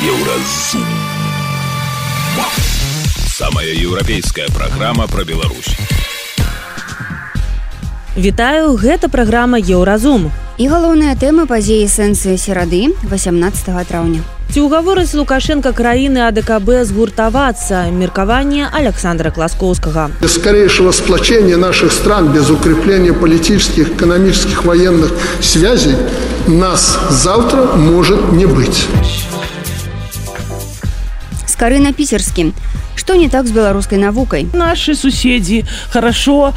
Еўразум. Самая еўрапейская праграма пра Беларусь. Вітаю, гэта праграма Еўразум. І галоўныя тэмы падзеі сэнсы серады 18 траўня. Ці ўгаворыць Лукашенко краіны АДКБ згуртавацца? Меркаванне Александра Класкоўскага. Без скорейшего сплочения наших стран, без укрепления политических, экономических, военных связей нас завтра может не быть. Скорына Питерский. Что не так с белорусской наукой? Наши соседи хорошо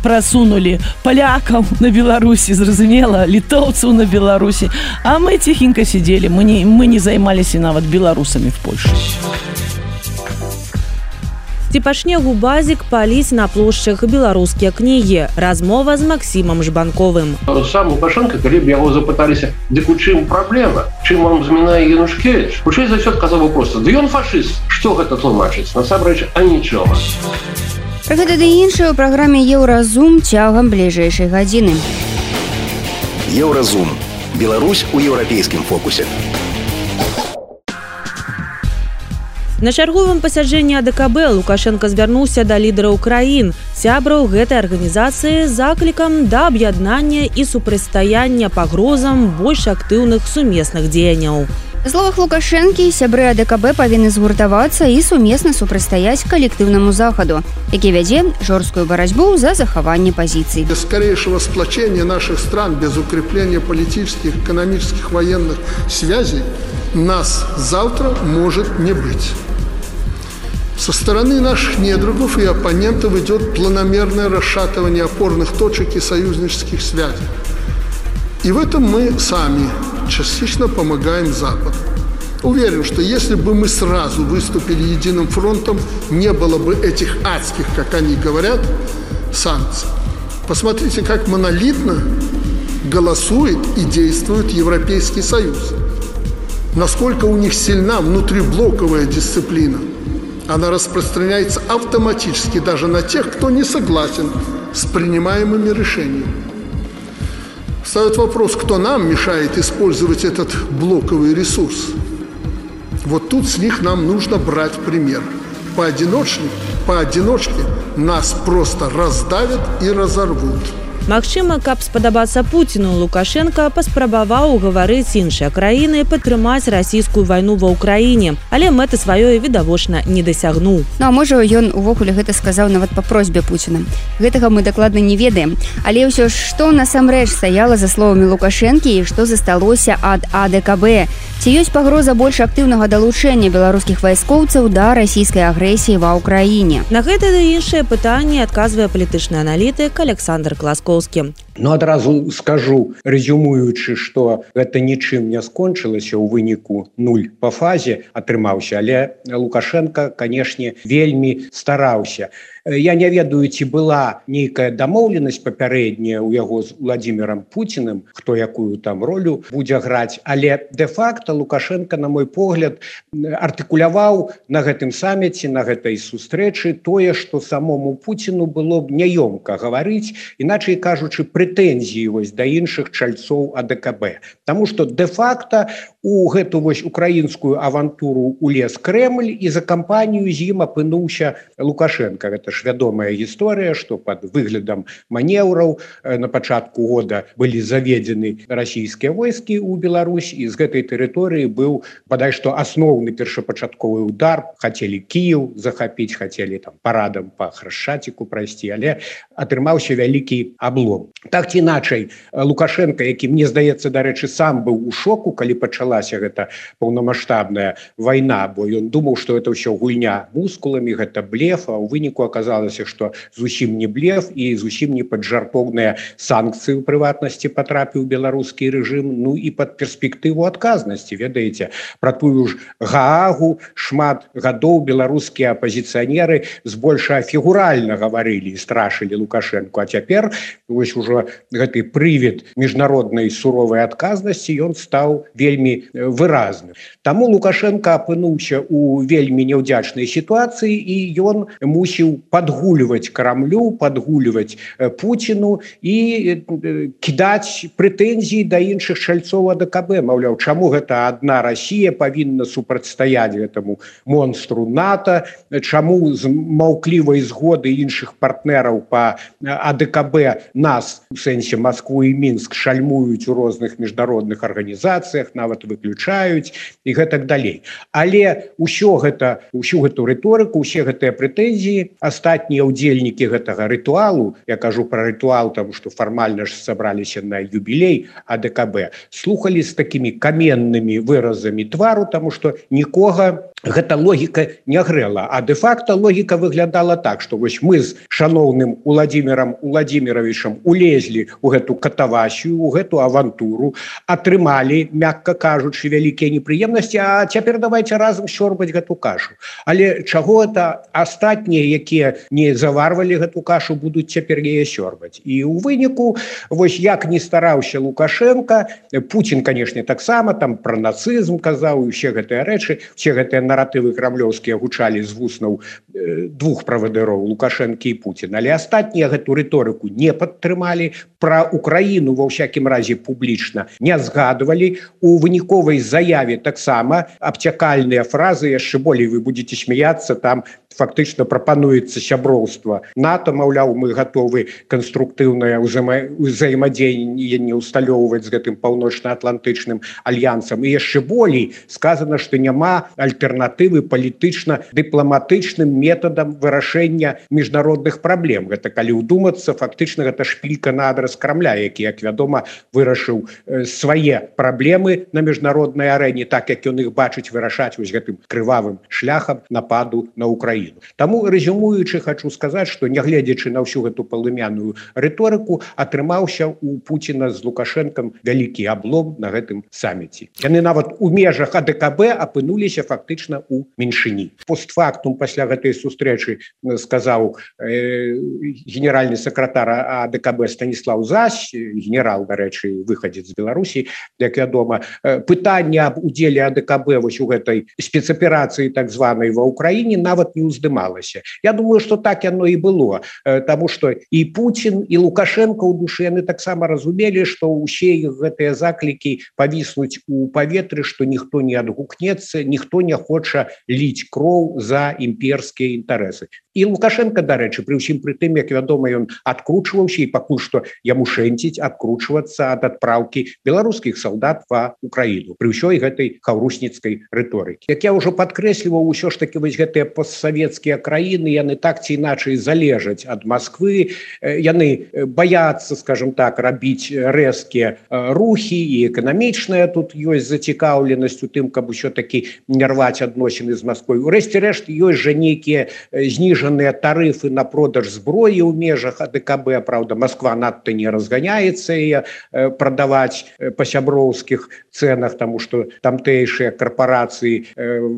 просунули поляков на Беларуси, зразумела, литовцев на Беларуси, а мы тихенько сидели, мы не займались и нават белорусами в Польше. Ці пачне губазік паліць на плошчах беларускія кнігі. Размова з Максімам Жбанковым. Сам Лукашенко, калі б яго запыталіся, дык у чым праблема? Чым вам змінае Янушкевіч? Хутчэй за ўсё адказаў проста: ды ён фашыст. Што гэта тлумачыць? Насамрэч, а нічога. Пра гэта ды іншае ў праграме Еўразум цягам бліжэйшай гадзіны. Еўразум. Беларусь у еўрапейскім фокусе. На чарговым пасяджэнні АДКБ Лукашенко звярнуўся да лідараў краін, сябраў гэтай арганізацыі з заклікам да аб'яднання і супрацьстаяння пагрозам больш актыўных сумесных дзеянняў. Па словах Лукашэнкі, сябры АДКБ павінны згуртавацца і сумесна супрацьстаяць калектыўнаму захаду, які вядзе жорсткую барацьбу за захаванне пазіцый. Без скорейшего сплочения наших стран, без укрепления политических, экономических, военных связей нас завтра может не быть. Со стороны наших недругов и оппонентов идет планомерное расшатывание опорных точек и союзнических связей. И в этом мы сами частично помогаем Западу. Уверен, что если бы мы сразу выступили единым фронтом, не было бы этих адских, как они говорят, санкций. Посмотрите, как монолитно голосует и действует Европейский Союз. Насколько у них сильна внутриблоковая дисциплина. Она распространяется автоматически даже на тех, кто не согласен с принимаемыми решениями. Встает вопрос, кто нам мешает использовать этот блоковый ресурс. Вот тут с них нам нужно брать пример. Поодиночке нас просто раздавят и разорвут. Магчыма, каб спадабацца Пуціну, Лукашенко паспрабаваў угаварыць іншыя краіны падтрымаць расійскую вайну ва ўкраіне, але мэты сваёй відавочна не дасягнуў. Ну а можа, ён увогуле гэта сказаў нават па просьбе Пуціна. Гэтага мы дакладна не ведаем. Але ўсё ж, што насамрэч стаяла за словамі Лукашэнкі і што засталося ад АДКБ? Ці ёсць пагроза больш актыўнага далучэння беларускіх вайскоўцаў да расійскай агрэсіі ва ўкраіне? На гэта ды іншыя пытанні адказвае палітычны аналітык Александр Класкоўскі. Ну, адразу скажу, рэзюмуючы, што гэта нічым не скончылася, у выніку 0 па фазе атрымаўся, але Лукашенко, канешне, вельмі стараўся. Я не ведаю, ці была нейкая дамоўленасць папярэдняя ў яго з Владзімірам Пуціным, хто якую там ролю будзе граць, але дэ-факта Лукашенко, на мой погляд, артыкуляваў на гэтым саміце, на гэтай сустрэчы тое, што самому Пуціну было б няёмка гаварыць, іначай кажучы, прэтэнзіі вось да іншых чальцоў АДКБ. Таму што дэ-факта у гэту вось украінскую авантуру улез Крэмль, і за кампанію з ім апынуўся Лукашенко. Гэта ж вядомая гісторыя, што пад выглядам манеўраў на пачатку года былі заведзены расійскія войскі ў Беларусь, і з гэтай тэрыторыі быў бадай што асноўны першапачатковы удар. Хацелі Кіеў захапіць, хацелі там парадам па Храшчаціку прайсці, але атрымаўся вялікі аблом. Так ці іначай, Лукашенко, які, мне здаецца, дарэчы, сам быў у шоку, калі пачалася гэта паўнамаштабная вайна, бо ён думаў, што гэта ўсё гульня мускуламі, гэта блеф, а ў выніку аказалася, што зусім не блеф і зусім не пад жартоўныя санкцыі ў прыватнасці патрапіў беларускі рэжым, ну і пад перспектыву адказнасці. Ведаеце, пра тую ж Гаагу шмат гадоў беларускія апазіцыянеры збольшага фігуральна гаварылі і страшылі Лукашенко, а цяпер вось ужо што гэты прывід міжнароднай суровай адказнасці ён стаў вельмі выразным. Таму Лукашенко апынуўся у вельмі няўдзячнай сітуацыі і ён мусіў падгульваць Крамлю, падгульваць Пуціну і кідаць прэтэнзіі да іншых чальцоў АДКБ. Маўляў, чаму гэта адна Расія павінна супрацьстаяць гэтаму монстру НАТО, чаму з маўклівай згоды іншых партнераў па АДКБ нас, у сэнсе Маскву і Мінск, шальмуюць у розных міжнародных арганізацыях, нават выключаюць і гэтак далей. Але усю гэту рыторыку, усе гэтыя прэтэнзіі астатнія ўдзельнікі гэтага рытуалу, я кажу пра рытуал, таму што фармальна ж сабраліся на юбілей АДКБ, слухалі з такімі каменнымі выразамі твару, таму што нікога гэта логіка не грэла, а дэ-факта логіка выглядала так, што вось мы з шаноўным Уладзімірам Уладзіміровичам улезлі ў гэту катавасію, у гэту авантуру, атрымалі, мякка кажучы, вялікія непрыемнасці, а цяпер давайте разам сёрбаць гэту кашу. Але чаго это астатнія, якія не заварвалі гэту кашу, будуць цяпер яе сёрбаць. І ў выніку, вось як не стараўся Лукашенко, Путін, канешне, таксама там пра нацызм казаў, і ўсе гэтыя рэчы, усе гэтыя наратывы крамлёўскія гучалі з вуснаў двух правадыроў, Лукашенко і Путін. Але астатнія гэту рыторыку не падтрымалі, пра Украіну ва ўсякім разе публічна не згадвалі. У выніковай заяве таксама абцякальныя фразы, яшчэ болей вы будете смяяцца, там фактычна прапануецца сяброўства НАТО, маўляў, мы гатовы канструктыўнае ўзаемадзеянне усталёўваць з гэтым паўночна-атлантычным альянсам. І яшчэ болей сказана, што няма альтэрнатывы палітычна-дыпламатычным метадам вырашэння міжнародных праблем. Гэта, калі ўдумацца, фактычна гэта шпілька на адрас Крамля, які, як вядома, вырашыў свае праблемы на міжнароднай арэне, так як ён іх бачыць, вырашаць вось гэтым крывавым шляхам нападу на Украіну. Таму, рэзюмуючы, хачу сказаць, што нягледзячы на ўсю гэту палымяную рыторыку, атрымаўся у Пуціна з Лукашэнкам вялікі аблом на гэтым саміце. Яны нават у межах АДКБ апынуліся фактычна ў меншыні. Постфактум пасля гэтай сустрэчы сказаў генеральны сакратар АДКБ Станіслав Зась, генерал, дарэчы, выхадзец з Беларусі, як вядома, пытанне аб удзеле АДКБ вось у гэтай спецаперацыі так званай ва Ўкраіне нават не уздымалася. Я думаю, што так яно і было, таму што і Путін, і Лукашенко ў душы яны таксама разумелі, што ўсе іх гэтыя заклікі павіснуць у паветры, што ніхто не адгукнецца, ніхто не хоча ліць кроў за імперскія інтарэсы. І Лукашенко, дарэчы, пры ўсім пры тым, як вядома, ён адкручваўся і пакуль што яму шэнціць адкручвацца ад адпраўкі беларускіх салдат ва Украіну пры ўсёй гэтай хаўрусніцкай рыторыкі. Як я ўжо падкрэсліваў, усё ж такі вось гэтыя постсавецкія краіны, яны так ці іначай залежаць ад Масквы, яны баяцца, скажем так, рабіць рэзкія рухі, і эканамічная тут ёсць зацікаўленасць у тым, каб усё-такі не рваць адносіны з Масквой. Урэшце рэшт, ёсць жа нейкія зніжаныя тарыфы на продаж зброі ў межах АДКБ, правда, Масква надта не разганяецца яе прадаваць па сяброўскіх цэнах, таму што тамтэйшыя карпорацыі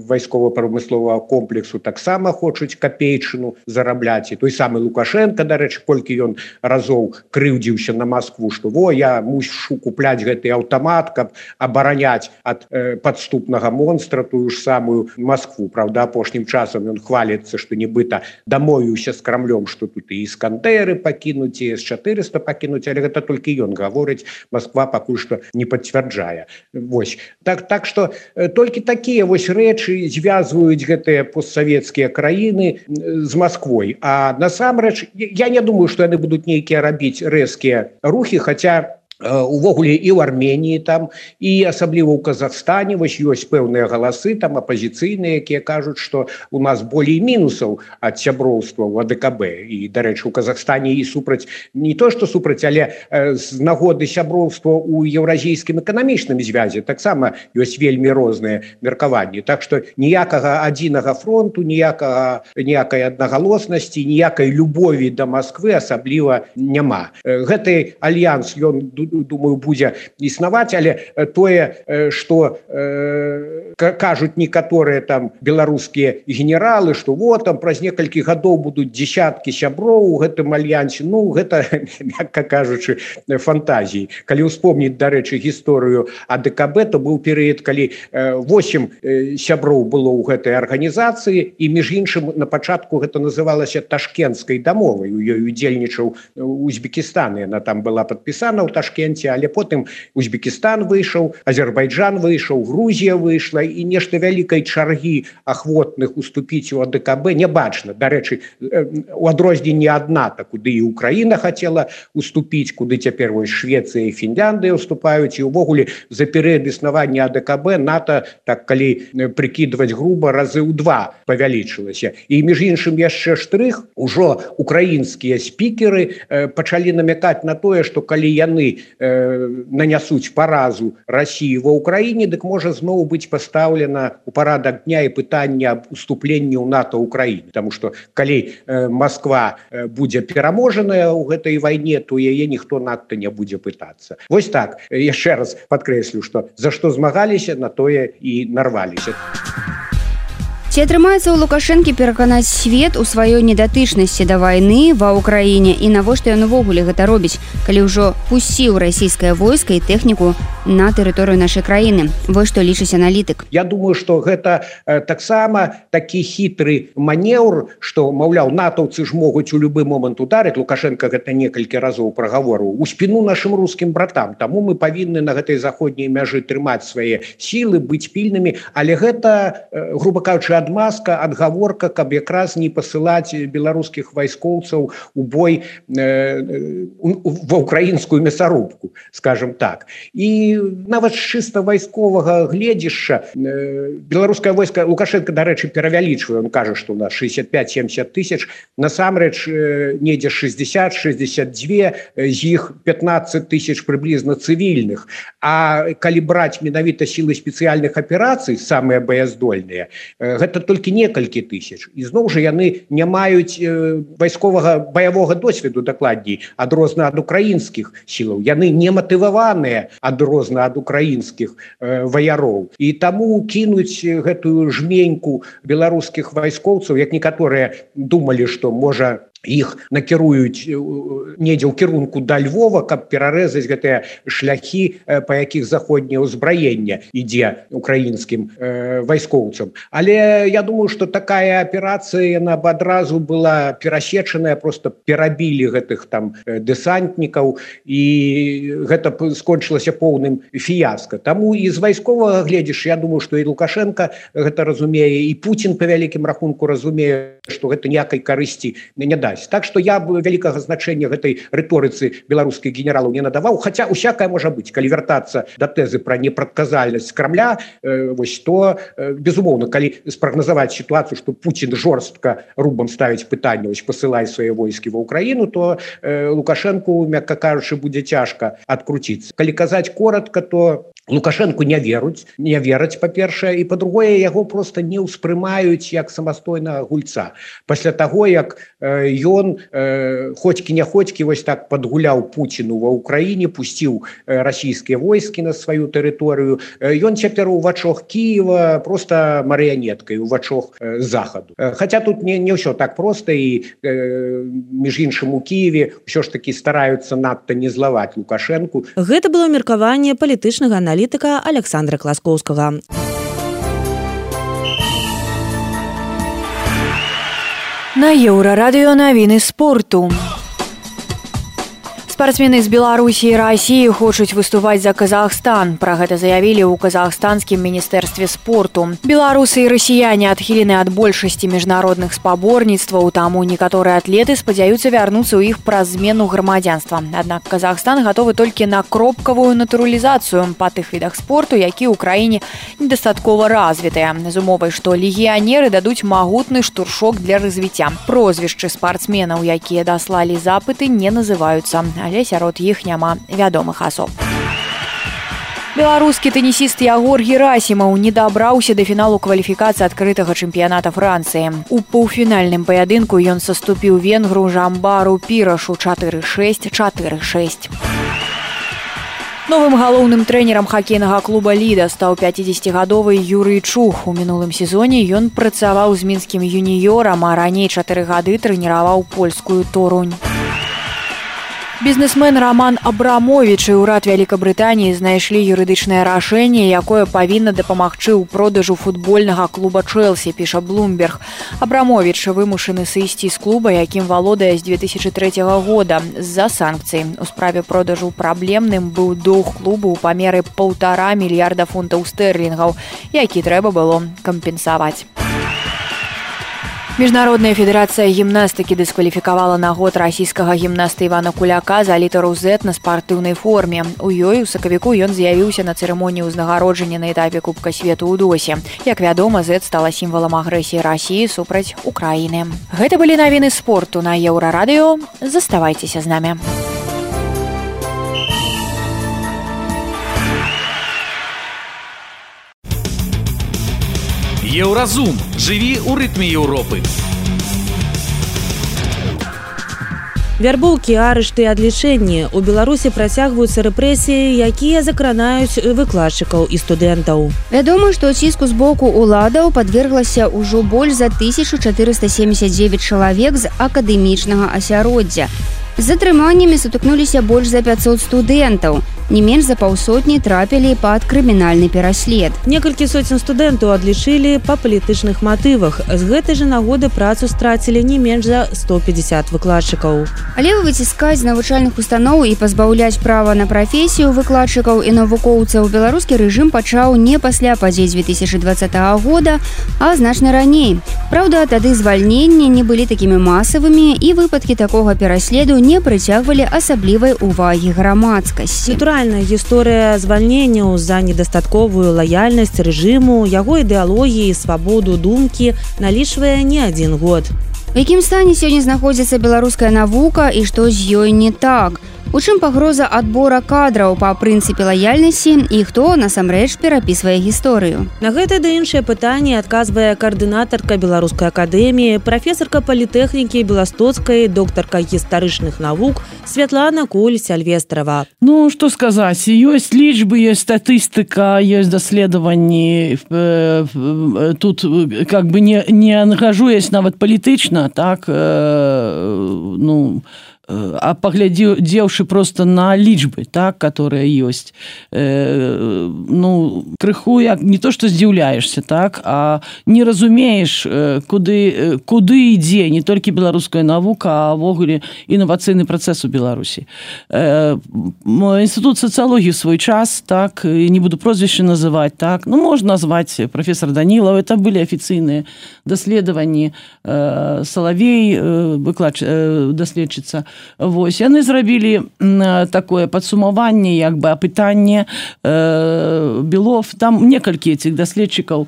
вайскова-прамысловага комплексу таксама хочуць капейчыну зарабляць. І той самы Лукашенко, дарэчы, колькі ён разоў крыўдзіўся на Маскву, што во, я мушу купляць гэты аўтамат, каб абараняць ад падступнага монстра тую ж самую Маскву. Правда, апошнім часам ён хваліцца, што нібыта дамовіўся з Крамлём, што тут і Іскандеры пакінуць, і С-400 пакінуць, але гэта толькі ён гаворыць, Масква пакуль што не пацвярджае. Вось. Так што толькі такія вось рэчы звязваюць гэтыя постсавецкія краіны з Масквой. А насамрэч, я не думаю, што яны будуць нейкія рабіць рэзкія рухі, хаця увогуле і ў Арменіі там, і асабліва ў Казахстане вось ёсць пэўныя галасы там апазіцыйныя, якія кажуць, што у нас болей мінусаў ад сяброўства ў АДКБ. І, дарэчы, у Казахстане і супраць, не то што супраць, але з нагоды сяброўства ў еўразійскім эканамічным звязе таксама ёсць вельмі розныя меркаванні. Так што ніякага адзінага фронту, ніякай аднагалоснасці, ніякай любові да Масквы асабліва няма. Гэты альянс, ён думаю, будзе існаваць, але тое, што кажуць некаторыя там беларускія генералы, што вот там праз некалькі гадоў будуць дзесяткі сяброў у гэтым альянсе, ну гэта, мякка кажучы, фантазіі. Калі ўспомніць, дарэчы, гісторыю АДКБ, то быў перыяд, калі 8 сяброў было ў гэтай арганізацыі, і між іншым на пачатку гэта называлася Ташкенцкай дамовай, у ёй удзельнічаў Узбекістан, яна там была падпісана ў Ташкенце, але потым Узбекістан выйшаў, Азербайджан выйшаў, Грузія выйшла, і нешта вялікай чаргі ахвотных уступіць у АДКБ не бачна. Дарэчы, у адрозненні ад НАТО, куды і Украіна хацела уступіць, куды цяпер вось Швецыя і Фінляндыя уступаюць, і ўвогуле за перыяд існавання АДКБ НАТО, так калі прыкідваць груба, разы ў 2 павялічылася. І між іншым яшчэ штрых, ужо украінскія спікеры пачалі намякаць на тое, што калі яны нанясуць паразу Расіі ва Ўкраіне, дык можа зноў быць пастаўлена ў парадак дня і пытанне аб уступленні ў НАТО Ўкраіны. Таму што калі Москва будзе пераможаная ў гэтай вайне, то яе ніхто надта не будзе пытацца. Вось так, яшчэ раз падкрэслю, што за што змагаліся, на тое і нарваліся. Ці атрымаецца ў Лукашэнкі пераканаць свет у сваёй недатычнасці да вайны ва ўкраіне, і навошта ён увогуле гэта робіць, калі ўжо пусціў расійскае войска і тэхніку на тэрыторыю нашай краіны? Вось што лічыць аналітык. Я думаю, што гэта таксама такі хітры манеўр, што, маўляў, натаўцы ж могуць у любы момант ударыць. Лукашенко гэта некалькі разоў прагаворыў у спіну нашым рускім братам. Таму мы павінны на гэтай заходняй мяжы трымаць свае сілы, быць пільнымі, але гэта, груба кажучы, адмазка, адгаворка, каб якраз не пасылаць беларускіх вайскоўцаў у бой ва ўкраінскую мясарубку, скажем так. І нават з чыста вайсковага гледзішча беларускае войска, Лукашенко, дарэчы, перавялічвае, он кажа, што у нас 65-70 тысяч, насамрэч недзе 60-62, з іх 15 тысяч прыблізна цывільных. А калі браць менавіта сілы спецыяльных аперацый, самыя баяздольныя, гэта толькі некалькі тысяч. І зноў жа яны не маюць вайсковага баявога досведу, дакладней, адрозна ад украінскіх сілаў. Яны не матываваныя адрозна ад украінскіх ваяроў. І таму кінуць гэтую жменьку беларускіх вайскоўцаў, як некаторыя думалі, што можа іх накіруюць недзе ў кірунку да Львова, каб перарэзаць гэтыя шляхі, па якіх заходняе ўзбраенне ідзе украінскім вайскоўцам. Але я думаю, што такая аперацыя, яна б адразу была перасечаная, проста перабілі гэтых там дэсантнікаў, і гэта скончылася поўным фіяска. Таму і з вайсковага гледзіш, я думаю, што і Лукашенко гэта разумее, і Путін па вялікім рахунку разумее, што гэта ніякай карысці не дасць. Так што я вялікага значэння гэтай рыторыцы беларускіх генералаў не надаваў, хаця усякае можа быць. Калі вяртацца да тэзы пра непрадказальнасць Крамля, вось то, безумоўна, калі спрагназаваць сітуацыю, што Путін жорстка рубам ставіць пытанне, вось пасылай свае войскі ва Ўкраіну, то Лукашэнку, мякка кажучы, будзе цяжка адкруціцца. Калі казаць коратка, то Лукашэнку не вераць, па-першае, і па-другое, яго проста не ўспрымаюць як самастойнага гульца. Пасля таго, як ён хоцькі-няходзькі вось так падгуляў Пуціну ва Ўкраіне, пусціў расійскія войскі на сваю тэрыторыю, ён цяпер у вачах Кіева проста марыянеткай, у вачах захаду. Хаця тут не ўсё так проста, і між іншым у Кіеве ўсё ж такі стараюцца надта не злаваць Лукашэнку. Гэта было меркаванне палітычнага аналітыка Александра Класкоўскага. На Еўрарадыё навіны спорту. Спартсмены з Беларусі і Расіі хочуць выступаць за Казахстан. Пра гэта заявілі ў казахстанскім міністэрстве спорту. Беларусы і расіяне адхілены ад большасці міжнародных спаборніцтваў, таму некаторыя атлеты спадзяюцца вярнуцца ў іх праз змену грамадзянства. Аднак Казахстан гатовы толькі на кропкавую натуралізацыю па тых відах спорту, які ў краіне недастаткова развітыя, з умовай, што легіянеры дадуць магутны штуршок для развіцця. Прозвішчы спартсменаў, якія даслалі запыты, не называюцца, але сярод іх няма вядомых асоб. Беларускі тэнісіст Ягор Герасімаў не дабраўся да фіналу кваліфікацыі адкрытага чэмпіяната Францыі. У паўфінальным паядынку ён саступіў венгру Жамбару Пірашу 4-6, 4-6. Новым галоўным трэнерам хакейнага клуба «Ліда» стаў 50-гадовы Юрый Чух. У мінулым сезоне ён працаваў з мінскім юніёрам, а раней 4 гады трэніраваў польскую «Торунь». Бізнесмен Роман Абрамович і ўрад Вялікабрытаніі знайшлі юрыдычнае рашэнне, якое павінна дапамагчы ў продажу футбольнага клуба «Чэлсі», піша Bloomberg. Абрамович вымушаны сысці з клуба, якім валодае з 2003 года з-за санкцый. У справе продажу праблемным быў доўг клубу ў памеры 1,5 мільярда фунтаў стэрлінгаў, які трэба было кампенсаваць. Міжнародная федэрацыя гімнастыкі дыскваліфікавала на год расійскага гімнаста Івана Куляка за літару Z на спартыўнай форме. У ёй у сакавіку ён з'явіўся на цырымоніі ўзнагароджання на этапе Кубка свету ў Досе. Як вядома, Z стала сімвалам агрэсіі Расіі супраць Украіны. Гэта былі навіны спорту на Еўрарадыё. Заставайцеся з намі. Еўразум. Жыві ў рытме Еўропы. Вярбоўкі, арышты і адлічэнні. У Беларусі працягваюцца рэпрэсіі, якія закранаюць выкладчыкаў і студэнтаў. Вядома, што ціску з боку ўладаў падверглася ўжо больш за 1479 чалавек з акадэмічнага асяроддзя. З затрыманнямі сутыкнуліся больш за 500 студэнтаў. Не менш за паўсотні трапілі пад крымінальны пераслед. Некалькі соцень студэнтаў адлічылі па палітычных матывах. З гэтай жа нагоды працу страцілі не менш за 150 выкладчыкаў. Але выціскаць з навучальных устаноў і пазбаўляць права на прафесію выкладчыкаў і навукоўцаў беларускі рэжым пачаў не пасля падзей 2020 года, а значна раней. Праўда, тады звальненні не былі такімі масавымі і выпадкі такога пераследу не прыцягвалі асаблівай увагі грамадскасці. Натуральная гісторыя звальненняў за недастатковую лаяльнасць рэжыму, яго ідэалогіі і свабоду думкі налічвае не адзін год. У якім стане сёння знаходзіцца беларуская навука і што з ёй не так? У чым пагроза адбора кадраў па прынцыпе лаяльнасці і хто насамрэч перапісвае гісторыю? На гэта ды іншыя пытанні адказвае каардынатарка Беларускай акадэміі, прафесарка палітэхнікі Беластоцкай, доктарка гістарычных навук Святлана Куль-Сяльвестрава. Ну, што сказаць, ёсць лічбы, ёсць статыстыка, ёсць даследаванні. Тут как бы не ангажуясь нават палітычна, так, а паглядзеўшы просто на лічбы, так, которые ёсць, крыху як не то што здзіўляешся, так, а не разумееш, куды ідзе не толькі беларуская навука, а ўвогуле інавацыйны працэс у Беларусі. Інстытут сацыялогіі ў свой час, так, не буду прозвішча называць, так, можна назваць прафесор Данілаў, это былі афіцыйныя даследаванні, Салавей, даследчыца. Вось, яны зрабілі такое падсумаванне, як бы апытанне Белов, там некалькі этих даследчыкаў,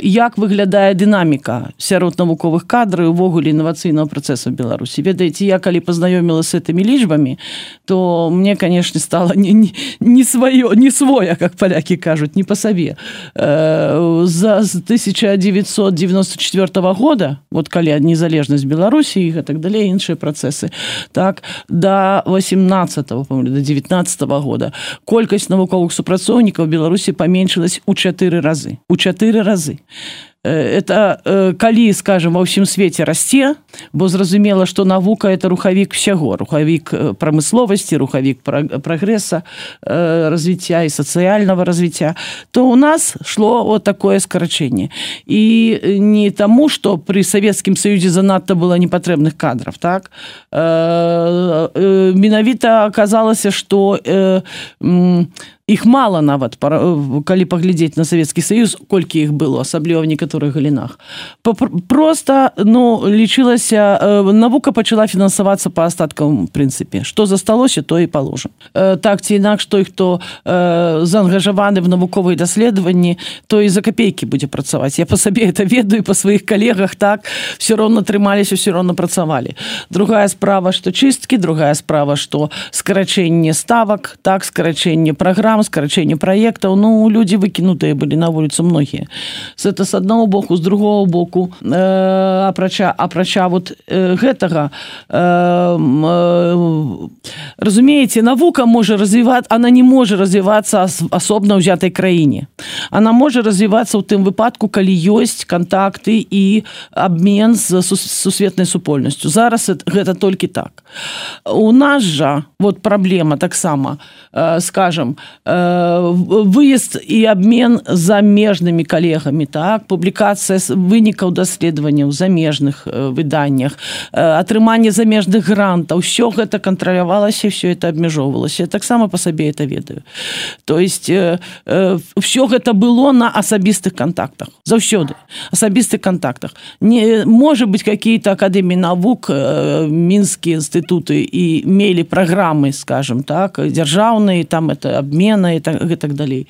як выглядае дынаміка сярод навуковых кадраў увогуле інавацыйнага працэсу в Беларусі. Ведаеце, я калі пазнаёміла с этими лічбамі, то мне, конечно, стало не своя, как поляки кажут, не по сабе. За 1994 года, вот калі незалежнасць Беларусі і так далее, іншыя працэсы, так, до 18-го, до 19-го года колькасць навуковых супрацоўнікаў в Беларусі паменшылась у 4 разы. У 4 разы. Это калі, скажем, ва ўсім свеце расце, бо зразумела, што навука – это рухавік усяго, рухавік прамысловасці, рухавік прагрэса, развіцця і сацыяльнага развіцця, то у нас шло вот такое скарачэнне. І не таму, што пры Савецкім Саюзе занадта было непатрэбных кадраў, так? Менавіта аказалася, што іх мала нават, калі паглядзець на Савецкі Саюз, колькі іх было, асабліва в некаторых галінах. Просто, лічылася, навука пачала фінансавацца па астаткавым прынцыпе. Што засталося, то і паложым. Так ці інакш, той, хто заангажаваны в навуковыя даследаванні, то і за капейкі будзе працаваць. Я па сабе это ведаю, па сваіх калегах, так, все роўна трымаліся, все роўна працавалі. Другая справа, што чысткі, другая справа, што скарачэнне ставак, так, скарачэнне праграм, программ, скорочение проектов. Ну, люди выкинутые были на улицу многие. Это с одного боку, с другого боку, апрача вот гэтага, разумеете, навука может развиваться, она не может развиваться особно ўзятай краіне. Она может развиваться ў тым выпадку, калі ёсць контакты и обмен с сусветнай супольнасцю. Зараз гэта толькі так. У нас жа вот проблема таксама, скажем, выезд и обмен з замежнымі калегамі, так, публікацыя вынікаў даследаванняў у замежных выданнях, атрыманне замежных грантаў, все гэта кантралявалася, все это абмяжоўвалася. Я таксама по сабе это ведаю. То есть все гэта было на асабістых контактах. Заўсёды. Асабістых контактах. Не, может быть, какие-то академии наук, Минские институты и имели программы, скажем так, державные, там это обмены и так далее.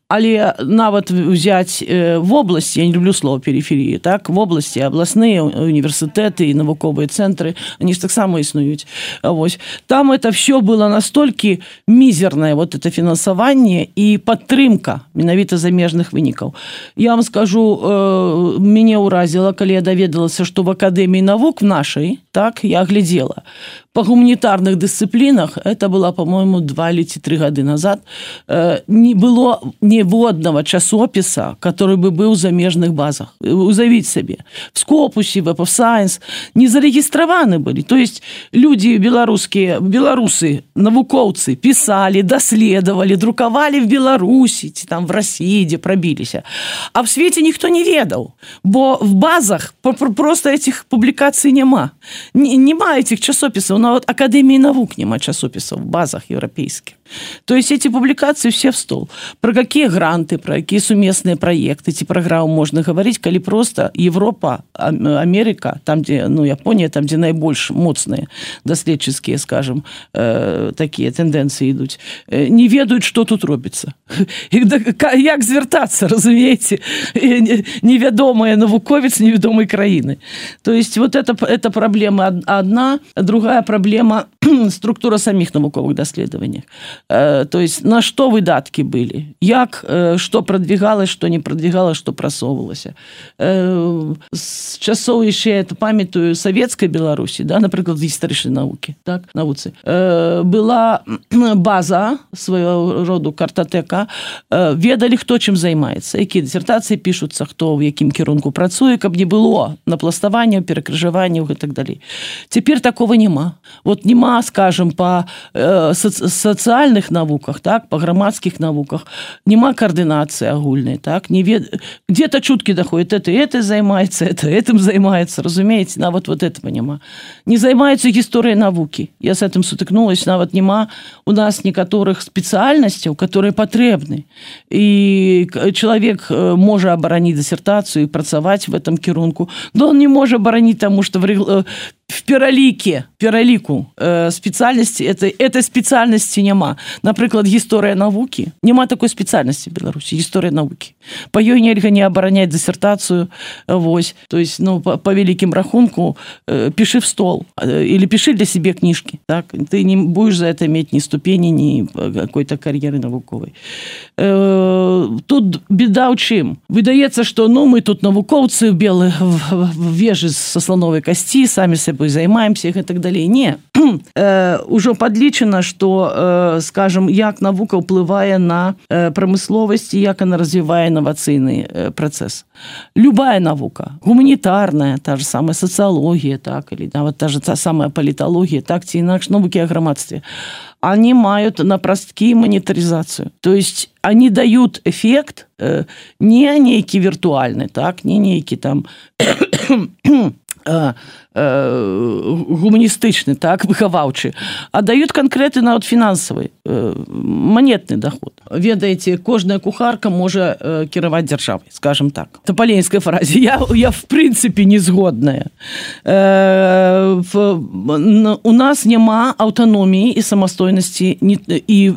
Але нават взять в области, я не люблю слово периферии, так, в области областные университеты и навуковые центры, они же так само існують. Ось. Там это все было настолько мизерное, вот это финансование и подтрымка менавіта замежных вынікаў. Я вам скажу, меня уразило, когда я доведалася, что в Академии наук в нашей, так, я глядела, по гуманитарных дисциплинах, это было, по-моему, 2 или 3 года назад, не было ніводного часопіса, который бы был в замежных базах. Уявіть себе. В Скопусе, в Web of Science не зарегистрированы были. То есть люди белорусские, белорусы, навукоўцы писали, доследовали, друковали в Беларуси, там в России, где пробились. А в свете никто не ведал, бо в базах просто этих публикаций нема. Нема этих часописов. На вот Академии наук нема часописов в базах европейских. То есть эти публикации все в стол. Про какие гранты, про какие суместные проекты, эти программы можно говорить, коли просто Европа, Америка, там, где, ну, Япония, там, где наибольш моцные доследческие, скажем, такие тенденции идут, не ведают, что тут робится. Як звертаться, разумеете? Неведомая навуковец неведомой краины. То есть вот эта проблема одна, другая проблема структура самих науковых доследований. То есть на что выдатки были, як, что продвигалось, что не продвигалось, что просовывалось. С часов еще, я это памятаю, советской Беларуси, да, например, исторической науки, так, науцы, была база своего рода картотека, ведали, кто чим займається, які диссертації пишуться, хто в яким керунку працює, каб не було напластування, перекрижування і так далі. Тепер такого нема. Вот нема, скажем, по социальных науках, так, по громадских науках, нема координации огульной, так, где-то чутки доходят, это займается, это этим займается, разумеете, на вот этого нема. Не займаются историей науки. Я с этим сутыкнулась, на вот нема у нас некоторых специальностей, которые потребны. И человек может оборонить диссертацию и працаваць в этом керунку, но он не может оборонить, потому что в пераліку специальности этой специальности нема. Например, история науки. Нема такой специальности в Беларуси. История науки. По ёй нельга не оборонять диссертацию. Вось. То есть, ну, по великим рахунку пиши в стол. Или пиши для себя книжки. Так? Ты не будешь за это иметь ни ступени, ни какой-то карьеры науковой. Тут беда у чим? Выдается, что ну, мы тут навукоўцы белые в вежи со слоновой кости, сами собой займаемся и так далее. Не. Уже подлічено, что, скажем, як наука ўплывае на промысловость и як она развивает инновационный процесс. Любая наука, гуманитарная, та же самая социология, так, или вот та же самая политология, так, ці інакш науки о громадстве, они имеют напростки монетаризацию. То есть они дают эффект не некий виртуальный, так, не некий там гуманістычны, так, выхаваўчы, а дают конкретный нават фінансавы, монетный доход. Ведаеце, кожная кухарка можа кіраваць дзяржавай, скажем так. Это по ленинской фразе. Я в принципе не згодная. У нас няма аўтаноміі і самастойнасці і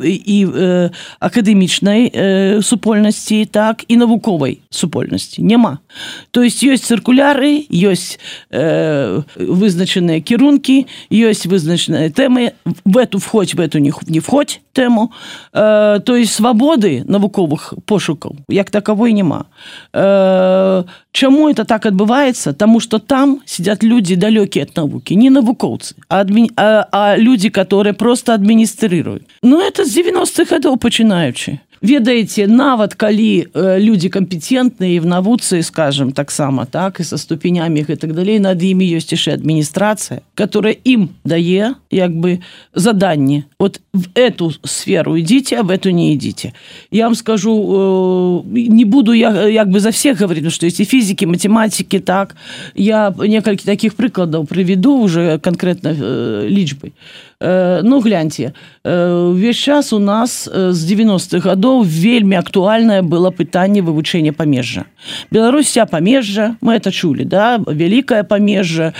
акадэмічнай супольнасці, так, і навуковай супольнасці. Няма. То есть ёсць циркуляры, ёсць вызначаныя кірункі, ёсць вызначаныя тэмы, в эту входь, в эту не входь тэму. То есть свабоды навуковых пошукаў як таковой няма. Чаму это так адбываецца? Таму што там сидят люди далёкія ад навукі, не навукоўцы, а люди, которые просто адміністрируюць. Ну, это з 90-х гадоў пачынаючы. Ведаеце, нават калі люди компетентныя в навуцы, скажем, таксама, так, и со ступенями и так далее, над імі ёсць яшчэ адміністрацыя, которая им дае, як бы, заданне. Вот в эту сферу идите, а в эту не идите. Я вам скажу, не буду я, як бы, за всех говорить, потому что есть и физики, математики, так. Я некалькі таких прыкладаў приведу уже конкретно лічбай. Ну, гляньте, весь час у нас з 90-х гадоў вельмі актуальнае было пытанне вывучэння памежжа. Беларусь вся памежжа, мы это чулі, да, вялікае памежжа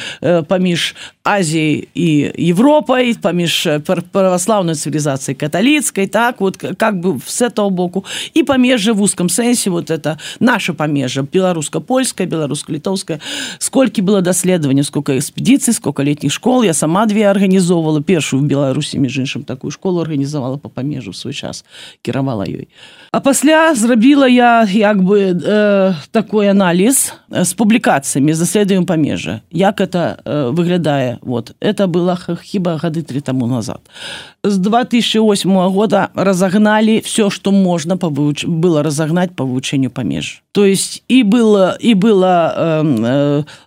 паміж Азіяй і Европой, паміж православной цивилизацией католицкой, так, вот как бы с этого боку, и памежжа в узком сенсе, вот это наше памежжа, белорусско-польское, белорусско-литовское. Сколько было доследований, сколько экспедиций, сколько летних школ, я сама 2 организовывала, першую в Беларусі, між іншым, такую школу организовала по памежжу в свой час, кіравала ёй. А пасля зрабіла я, як бы, такой анализ с публикациями, з даследаваннем памежжа. Як это выглядае? Вот. Это было хіба гады 3 тому назад. С 2008 года разогнали все, что можно было разогнать по вывучению памежжа. То есть и была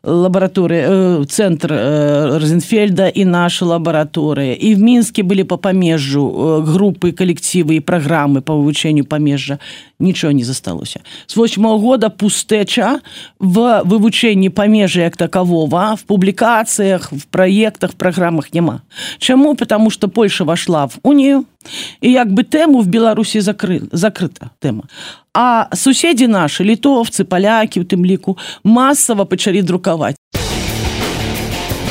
лаборатория, центр Розенфельда, и наша лаборатория. И в Минске были по памежжу группы, коллективы и программы по вывучению памежжа. Ничего не засталося. С 2008 года пустеча в вывучении памежжа як такового, в публикациях, в проектах, в программах нема. Чему? Потому что Польша вошла в Унию, и як бы тему в Беларуси закрыта тема. А суседи наши, литовцы, поляки, в тым ліку, массово пачалі друкаваць.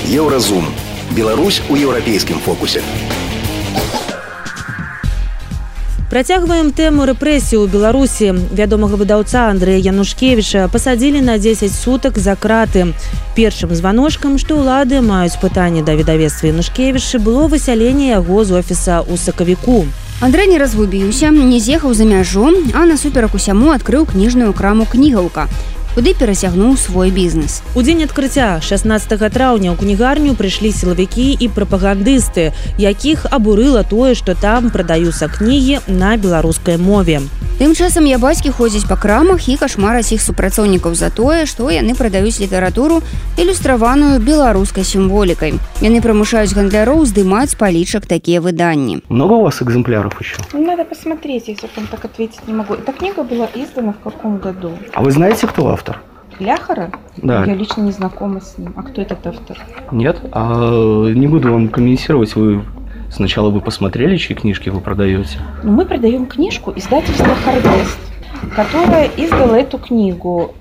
Еўразум. Беларусь у еўрапейскім фокусе. Працягваем тэму рэпрэсій у Беларусі. Вядомага выдаўца Андрэя Янушкевіча пасадзілі на 10 сутак за краты. Першым званочкам, што ўлады маюць пытанне да выдавецтва Янушкевіча, было высяленне яго з офіса ў сакавіку. Андрэй не разгубіўся, не з'ехаў за мяжу, а насуперак усяму адкрыў кніжную краму «Кнігаўка», куды перасягнуў свой бізнес. У дзень адкрыцця 16 траўня ў кнігарню прыйшлі сілавікі і прапагандысты, якіх абурыла тое, што там прадаюцца кнігі на беларускай мове. Тым часам ябацькі ходзяць па крамах і кашмараць іх супрацоўнікаў за тое, што яны прадаюць літаратуру, ілюстраваную беларускай сімволікай. Яны прымушаюць гандляроў здымаць палічак такія выданні. Много у вас экземпляров еще? Надо посмотреть, если я так ответить не могу. Эта книга была издана в каком году? А вы знаете, кто автор? Ляхара? Да. Я лично не знакома с ним. А кто этот автор? Нет? Не буду вам комментировать. Сначала вы посмотрели, чьи книжки вы продаете? Мы продаем книжку издательства «Харвест», которая издала эту книгу,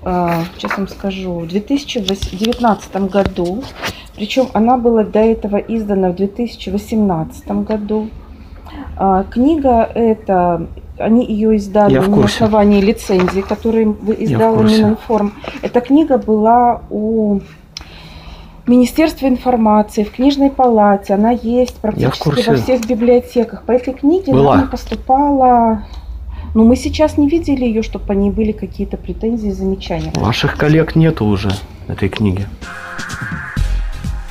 сейчас вам скажу, в 2019 году. Причем она была до этого издана в 2018 году. Книга эта, они ее издали на основании лицензии, которую издала Мининформ. Эта книга была у Министерства информации, в книжной палате. Она есть практически во всех библиотеках. По этой книге нам поступала... Но мы сейчас не видели ее, чтобы по ней были какие-то претензии, замечания. Ваших коллег нету уже этой книги.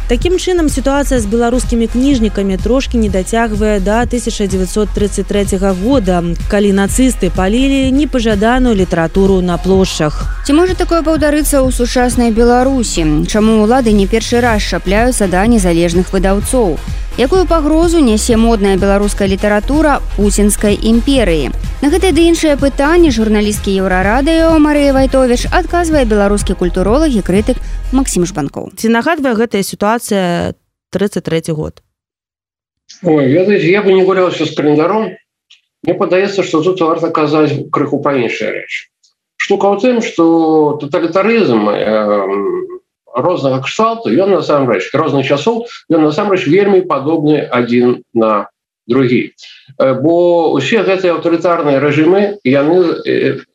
Такім чынам, сітуацыя з беларускімі кніжнікамі трошкі не дацягвае да 1933 года, калі нацысты палілі непажаданую літаратуру на плошчах. Ці можа такое паўдарыцца ў сучаснай Беларусі? Чаму ўлады не першы раз шапляюцца да незалежных выдаўцоў? Якую пагрозу нясе модная беларуская літаратура пуцінскай імперыі? На гэтае ды іншае пытанне журналісткі Еўрарадыё Марыя Вайтовіч адказвае беларускі культуролог і крытык Максим Жбанкоў. Ці нагадвае гэтая ситуация 33 год? Ой, я бы не гулялся с календаром. Мне падаецца, что тут варта казаць крыху пра іншыя рэчы. Штука ў тым, што тоталітарызм рознага кшталту, ён насамрэч, розных часоў, ён насамрэч вельмі падобны адзін на другі. Бо ўсе гэтыя аўтарытарныя рэжымы, яны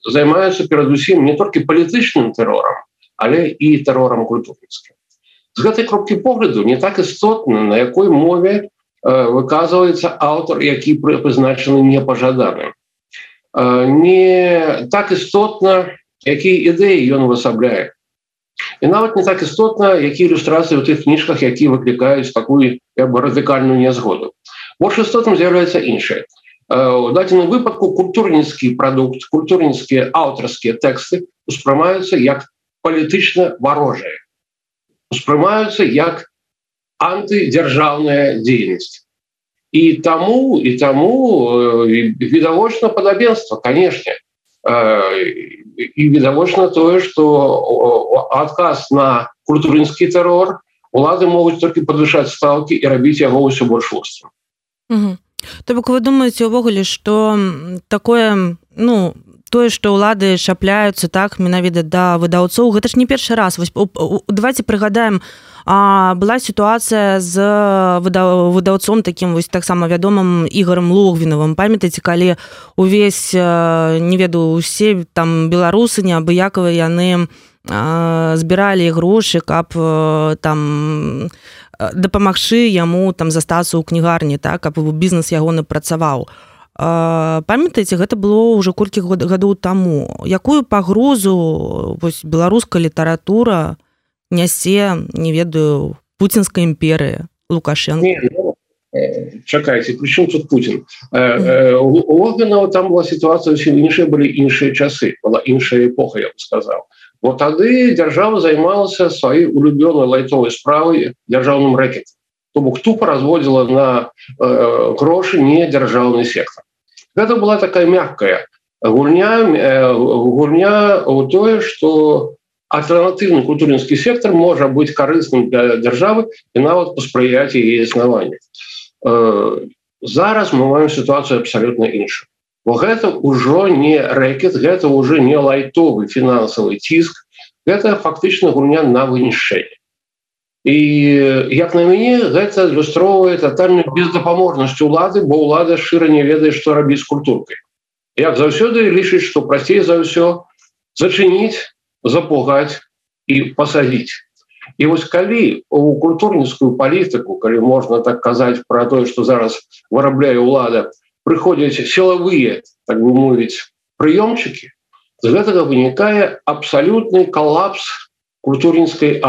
займаюцца перадусім не толькі палітычным тэрорам, але і тэрорам культурніцкім. З гэтай кропкі погляду не так істотна, на якой мове выказваецца аўтар, які прызначаны непажаданым. Не так істотна, якія ідэі ён высабляе. І нават не так істотна, якія ілюстрацыі ў тых кніжках, якія выклікаюць такую радыкальную нязгоду. Больш істотным з'яўляецца іншае. У дадзеным выпадку культурніцкі прадукт, культурніцкія аўтарскія тэксты успрымаюцца як палітычна варожыя, успрымаюцца як антыдзяржаўная дзейнасць. І таму відавочна падабенства, канешне. І відавочна тое, што адказ на культурніцкі тэрор улады могуць толькі падвышаць стаўкі і рабіць яго ўсё больш вострым. То бок вы думаеце ўвогуле, што такое, тое, што ўлады шапляюцца так менавіта да выдаўцоў, гэта ж не першы раз. Давайте прыгадаем, была сітуацыя з выдаўцом такім вось таксама вядомым Ігорем Логвінавым. Памятаеце, калі увесь, не ведаю, усе там беларусы неабыякавыя, яны збіралі грошы, каб там дапамагчы яму там застацца ў кнігарні, так, каб бізнес ягоны працаваў. Памятаеце, гэта было ўжо колькі гадоў таму. Якую пагрозу вось беларуская літаратура нясе, не ведаю, пуцінская імперыя, Лукашенко? Чакайце, прычым тут Путін? У Логвінава там была сітуацыя зусім іншая, былі іншыя часы, была іншая эпоха, я б сказаў. Бо тады дзяржава займалася сваёй улюбёнай лайтовай справай дзяржаўным рэкетам. То бок тупа разводзіла на грошы не дзяржаўны сектар. Гэта была такая мяккая гульня ў тое, што альтэрнатыўны культурніцкі сектар можа быць карысным для дзяржавы і нават паспрыяць яе існаванню. Зараз мы маем сітуацыю абсалютна іншую. Бо гэта ўжо не рэкет, гэта ўжо не лайтовы фінансавы ціск, гэта фактычна гульня на вынішчэнне. І, як на мяне, гэта ілюстроўвае татальную бездапаможнасць улады, бо ўлада шчыра не ведае, што рабіць з культуркай. Як заўсёды лічыць, што прасцей за ўсё зачыніць, запугаць і пасадзіць. І вось калі у культурніцкую палітыку, калі можна так казаць пра тое, што зараз вырабляе ўлада, прыходзяць сілавыя, так бы мовіць, прыёмчыкі, з гэтага вынікае абсалютны калапс культурніцкай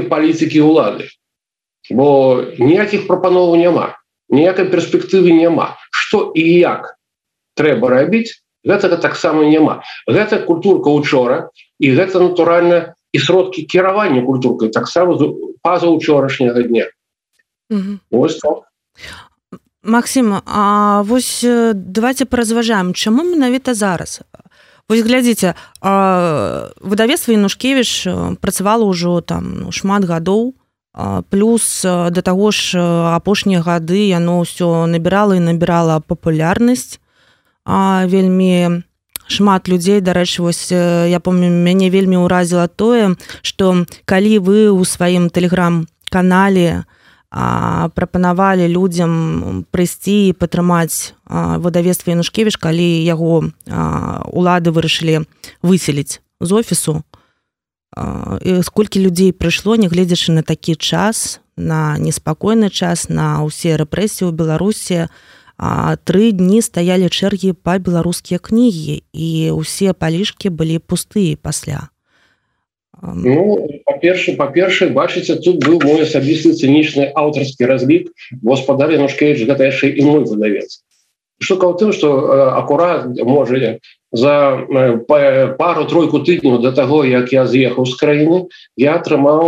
палітыкі ўлады. Бо ніякіх прапановаў няма, ніякай перспектывы няма. Што і як трэба рабіць, гэтага таксама няма. Гэта культурка учора, і гэта, натуральна, і сродкі кіравання культуркай таксама пазаўчорашняга дня. Вось так. Максим, а вось давайте паразважаем, чаму менавіта зараз? Вось глядзіце, выдавецтва Янушкевіч працавала ўжо там шмат гадоў, плюс да таго ж апошнія гады яно ўсё набірала і набірала папулярнасць. Вельмі шмат людзей, дарэчы, вось я помню, мяне вельмі ўразіла тое, што калі вы ў сваім тэлеграм-канале прапанавалі людзям прыйсці і падтрымаць выдавецтва Янушкевіч, калі яго улады вырашылі выселіць з офісу. І сколькі людзей прыйшло, нягледзячы на такі час, на неспакойны час, на ўсе рэпрэсіі ў Беларусі, 3 дні стаялі чэргі па беларускія кнігі, і ўсе палішкі былі пустыя пасля. Па-першае, бачыце, тут быў мой асабісты цынічны аўтарскі разлік, бо гаспадар Янушкевіч гэта яшчэ і мой выдавец. Штука ў тым, што акурат, можа, за пару-тройку тыдняў да таго, як я з'ехаў з краіны, я атрымаў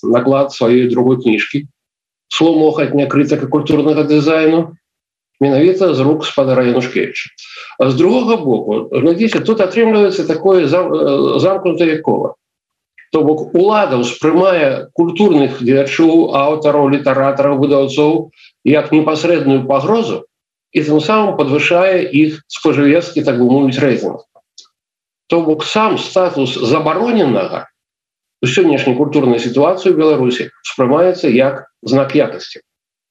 наклад сваёй другой кніжкі «Сломохатня крытыка культурнага дызайну», менавіта з рук гаспадара Янушкевіча. А з другога боку, глядзіце, тут атрымліваецца такое замкнутае кола. То бок улада ўспрымае культурных дзеячоў, аўтараў, літаратараў, выдаўцоў як непасрэдную пагрозу і тым самым падвышае іх спажывецкі, так бы мовіць, рэйтынг. То бок сам статус забароненага у сённяшняй культурнай сітуацыі ў Беларусі успрымаецца як знак якасці.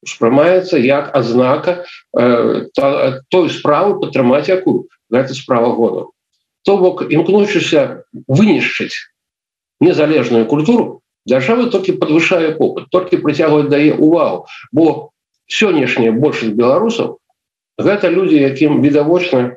Успрымаецца як адзнака той справы, падтрымаць якую. Гэта справа году. То бок, імкнучыся вынішчыць незалежную культуру, дзяржава толькі падвышае попыт, толькі прыцягваць дае увагу, бо сённяшняя большасць беларусаў гэта людзі, якім відавочна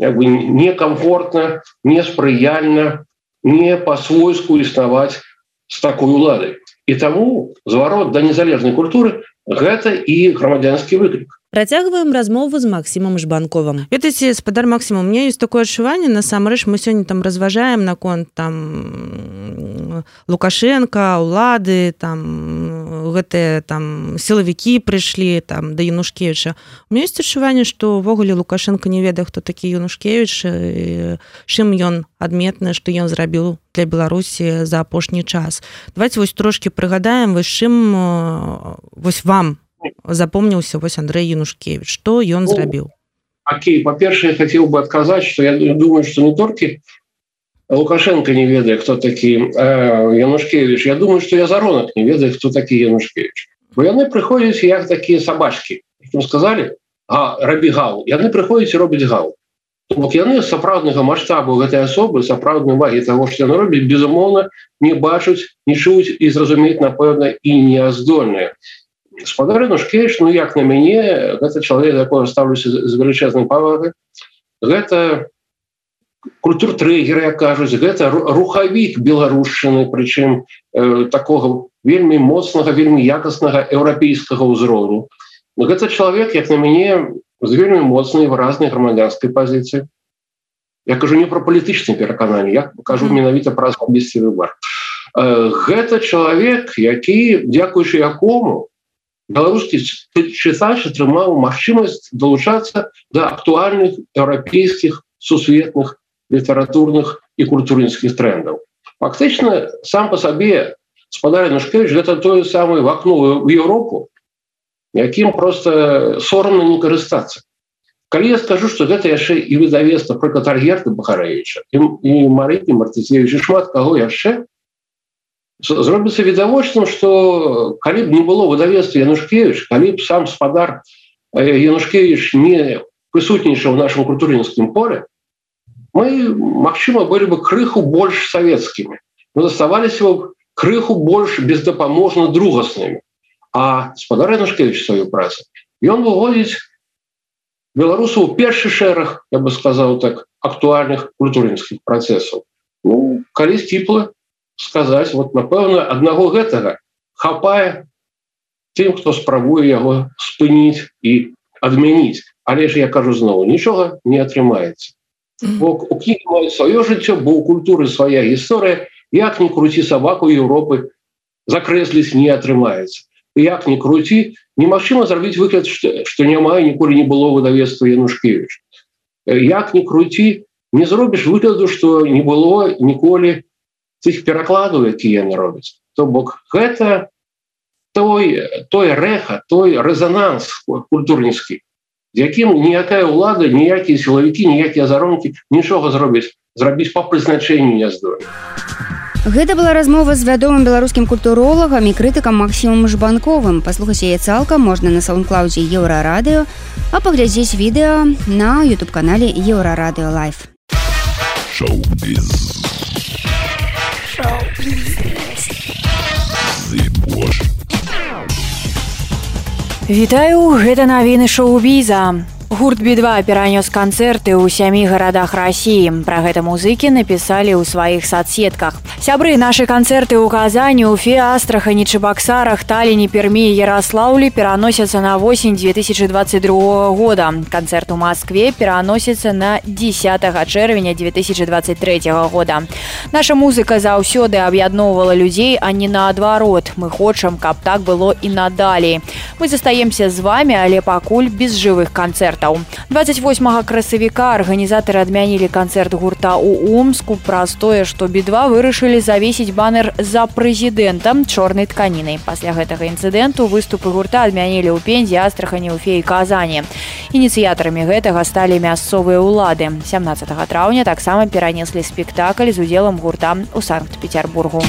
некамфортна, неспрыяльна, не па-свойску існаваць з такой уладай. І таму зварот да незалежнай культуры гэта і грамадзянскі выклік. Працягваем размову з Максімом Жбанковым. Ведаеце, спадар Максім, у меня есть такое адчуванне, насамрэч мы сёння там разважаем наконт там Лукашенко, улады, там гэтыя там сілавікі прыйшлі там да Янушкевіча. У меня есть адчуванне, што ўвогуле Лукашенко не ведае, хто такі Янушкевіч, чым ён адметны, што ён зрабіў для Беларусі за апошні час. Давайте вось трошки прыгадаем, вось чым вось вам запомніўся вось Андрей Янушкевич, што ён зрабіў? Окей, па-першае, я хацеў бы адказаць, што я думаю, што не толькі Лукашенко не ведае, хто такі Янушкевич, я думаю, што Язаронак не ведае, хто такі Янушкевич. Бо яны прыходзяць як такія сабачкі, якім сказалі, рабі гал. Яны прыходзяць і робяць гал. Бок яны сапраўднага маштабу гэтай асобы, сапраўднай увагі таго, што яны робяць, безумоўна, не бачаць, не чуюць і зразумець, напэўна, і не здольныя. Спадар Янушкевич, ну як на мяне, гэта чалавек, да якога ставлюся з велічэзнай павагай. Гэта культур-трэгер, як кажуць, гэта рухавік беларушчыны, прычым такога вельмі моцнага, вельмі якаснага еўрапейскага ўзроўню. Гэта чалавек, як на мяне, з вельмі моцнай выразнай грамадзянскай пазіцыі. Я кажу не пра палітычныя перакананні, я кажу менавіта пра асабісты выбар. Гэта чалавек, які, дзякуючы якому, беларускі чытач атрымаў магчымасць далучацца да актуальных еўрапейскіх сусветных літаратурных і культурніцкіх трендаў. Фактычна, сам па сабе спадар Янушкевич гэта тое самае вакно ў Еўропу, якім проста сорамна не карыстацца. Калі я скажу, што гэта яшчэ і выдавецтва прыклад Альгерда Бахарэвіча, і Марыкі Мартыцевіч, і шмат каго яшчэ, зробіцца відавочным, што калі б не было выдавецтва Янушкевич, калі б сам спадар Янушкевич не прысутнічаў у нашым культурніцкім поле, мы, магчыма, былі бы крыху больш савецкімі. Мы заставаліся б крыху больш бездапаможна другаснымі. А спадар Янушкевич сваю працу, ён выводзіць беларусаў у першы шэраг, я бы сказаў так, актуальных культурніцкіх працэсаў. Ну, калі сціпла сказаць, вот, напэўна, аднаго гэтага хапае тым, хто спрабуе яго спыніць і адмяніць. Але ж, я кажу зноў, нічога не атрымаецца. Бо у кнігі маюць сваё жыццё, бо ў культуры свая гісторыя, як не круці сабаку Еўропы, закрэсліць не атрымаецца. Як не круці, немагчыма зрабіць выгляд, што няма і ніколі не было выдавецтва Янушкевич. Як не круці, не зробіш выгляду, што не было ніколі тых перакладаў, якія яны робяць. То бок гэта той рэха, той рэзананс культурніцкі, з якім ніякая ўлада, ніякія сілавікі, ніякія заронкі нічога зробіць па прызначэнні не здольны. Гэта была размова з вядомым беларускім культуролагам і крытыкам Максімом Жбанковым. Паслухаць яе цалкам можна на саундклаудзе Еўрарадыё, а паглядзець відэо на YouTube-канале Еўрарадыё Лайв. Шоу-біз. Вітаю, гэта навіны шоу-біза. Гурт Би-2 перанёс канцэрты ў 7 гарадах Расіі. Пра гэта музыкі напісалі ў сваіх соцсетках. Сябры, нашы канцэрты ў Казані, Уфе, Астрахані, Чебоксарах, Таллине, Пермі і Ярослаўлі пераносяцца на восень 2022 года. Канцэрт у Москве пераносіцца на 10 чэрвеня 2023 года. Наша музыка заўсёды аб'ядноўвала людзей, а не наадварот. Мы хочам, каб так было і надалей. Мы застаемся з вамі, але пакуль без жывых канцэртаў. 28 красавіка арганізатары адмянілі канцэрт гурта ў Омску праз тое, што Би-2 вырашылі завесіць банер за прэзідэнтам чорнай тканінай. Пасля гэтага інцыдэнту выступы гурта адмянілі ў Пензе, Астрахані, Уфе і Казані. Ініцыятарамі гэтага сталі мясцовыя ўлады. 17 траўня таксама перанеслі спектакль з удзелам гурта ў Санкт-Петербургу.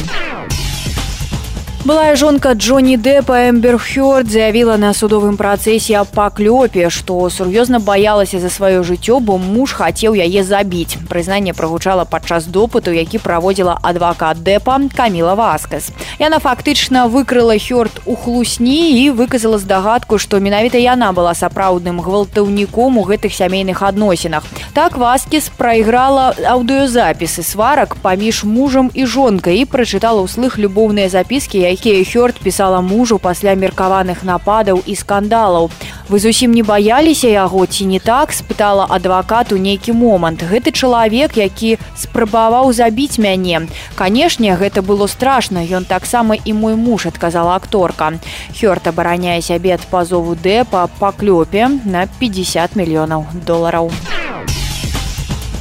Былая жонка Джонни Деппа Эмбер Хёрд заявила на судовым працэсе аб паклёпе, што сур'ёзна баялася за сваё жыццё, бо муж хацеў яе забіць. Прызнанне прагучала падчас допыту, які праводзіла адвакат Деппа Каміла Васкас. Яна фактычна выкрыла Хёрд у хлусні і выказала здагадку, што менавіта яна была сапраўдным гвалтаўніком у гэтых сямейных адносінах. Так Васкас прайграла аўдыёзапісы сварак паміж мужам і жонкай і прачытала ўслых любоўныя запіскі, якія Хёрд пісала мужу пасля меркаваных нападаў і скандалаў. Вы зусім не баяліся яго, ці не так? Спытала адвакат у нейкі момант. Гэты чалавек, які спрабаваў забіць мяне. Канешне, гэта было страшна, ён таксама і мой муж, адказала акторка. Хёрд абараняе сябе ад пазову Деппа па клёпе на $50 мільёнаў.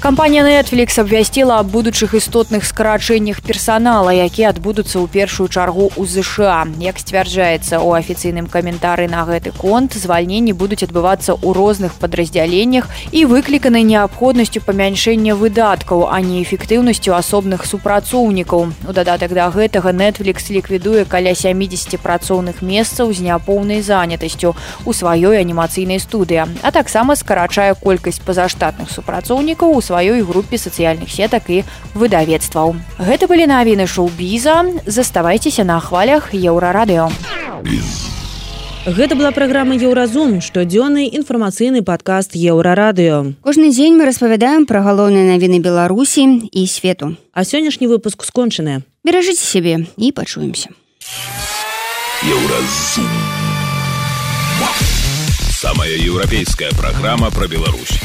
Кампанія Netflix абвясціла аб будучых істотных скарачэннях персанала, якія адбудуцца ў першую чаргу ў ЗША. Як сцвярджаецца ў афіцыйным каментары на гэты конт, звальненні будуць адбывацца ў розных падраздзяленнях і выкліканы неабходнасцю памяншэння выдаткаў, а не эфектыўнасцю асобных супрацоўнікаў. У дадатак да гэтага Netflix ліквідуе каля 70 працоўных месцаў з няпоўнай занятасцю ў сваёй анімацыйнай студыі, а таксама скарачае колькасць пазаштатных супрацоўнікаў у сваёй групе сацыяльных сетак і выдавецтваў. Гэта былі навіны шоу-біза. Заставайцеся на хвалях Еўрарадыё. Гэта была праграма «Еўразум», штодзённы інфармацыйны падкаст Еўрарадыё. Кожны дзень мы распавядаем пра галоўныя навіны Беларусі і свету. А сённяшні выпуск скончаны. Беражыце сябе і пачуемся. Еўразум. Самая еўрапейская праграма пра Беларусь.